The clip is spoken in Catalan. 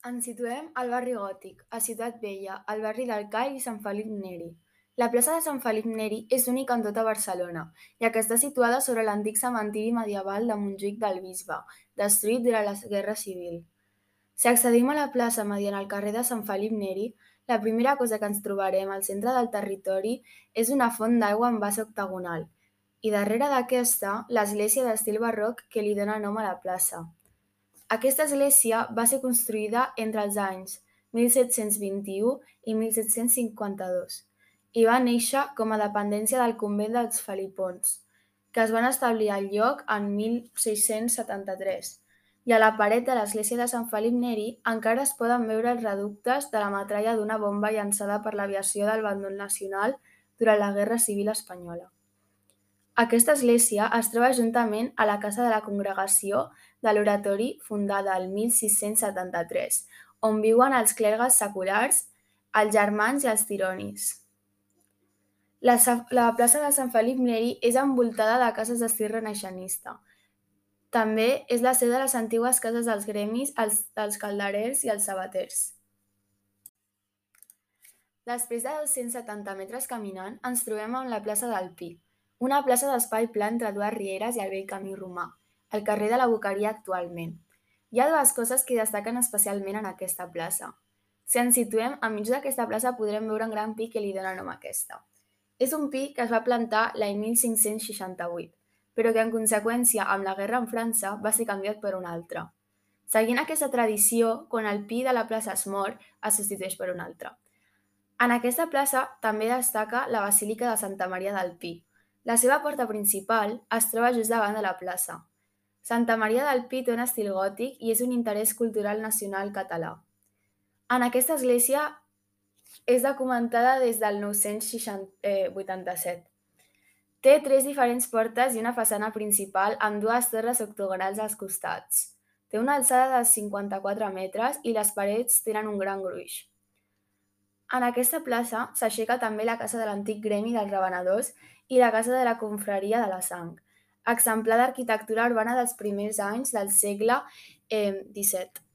Ens situem al barri gòtic, a Ciutat Vella, al barri del Call i Sant Felip Neri. La plaça de Sant Felip Neri és única en tota Barcelona, ja que està situada sobre l'antic cementiri medieval de Montjuïc del Bisbe, destruït durant la Guerra Civil. Si accedim a la plaça mediant el carrer de Sant Felip Neri, la primera cosa que ens trobarem al centre del territori és una font d'aigua en base octagonal, i darrere d'aquesta, l'església d'estil barroc que li dóna nom a la plaça. Aquesta església va ser construïda entre els anys 1721 i 1752 i va néixer com a dependència del convent dels Felipons, que es van establir al lloc en 1673. I a la paret de l'església de Sant Felip Neri encara es poden veure els reductes de la metralla d'una bomba llançada per l'aviació del bàndol nacional durant la Guerra Civil Espanyola. Aquesta església es troba juntament a la casa de la congregació de l'Oratori fundada el 1673, on viuen els clergues seculars, els germans i els tironis. La plaça de Sant Felip Neri és envoltada de cases d'estil renaixentista. També és la seu de les antigues cases dels gremis, dels calderers i els sabaters. Després de 270 metres caminant, ens trobem amb la plaça del Pi, una plaça d'espai pla entre dues rieres i el vell camí romà, al carrer de la Boqueria actualment. Hi ha dues coses que destaquen especialment en aquesta plaça. Si ens situem enmig d'aquesta plaça podrem veure un gran pi que li dóna nom a aquesta. És un pi que es va plantar l'any 1568, però que en conseqüència amb la guerra amb França va ser canviat per un altre. Seguint aquesta tradició, quan el pi de la plaça es mor, es substitueix per un altre. En aquesta plaça també destaca la Basílica de Santa Maria del Pi. La seva porta principal es troba just davant de la plaça. Santa Maria del Pi té un estil gòtic i és un interès cultural nacional català. En aquesta església és documentada des del 987. Té tres diferents portes i una façana principal amb dues torres octogonals als costats. Té una alçada de 54 metres i les parets tenen un gran gruix. En aquesta plaça s'aixeca també la casa de l'antic gremi dels revenedors i la casa de la confraria de la Sang, exemplar d'arquitectura urbana dels primers anys del segle XVII.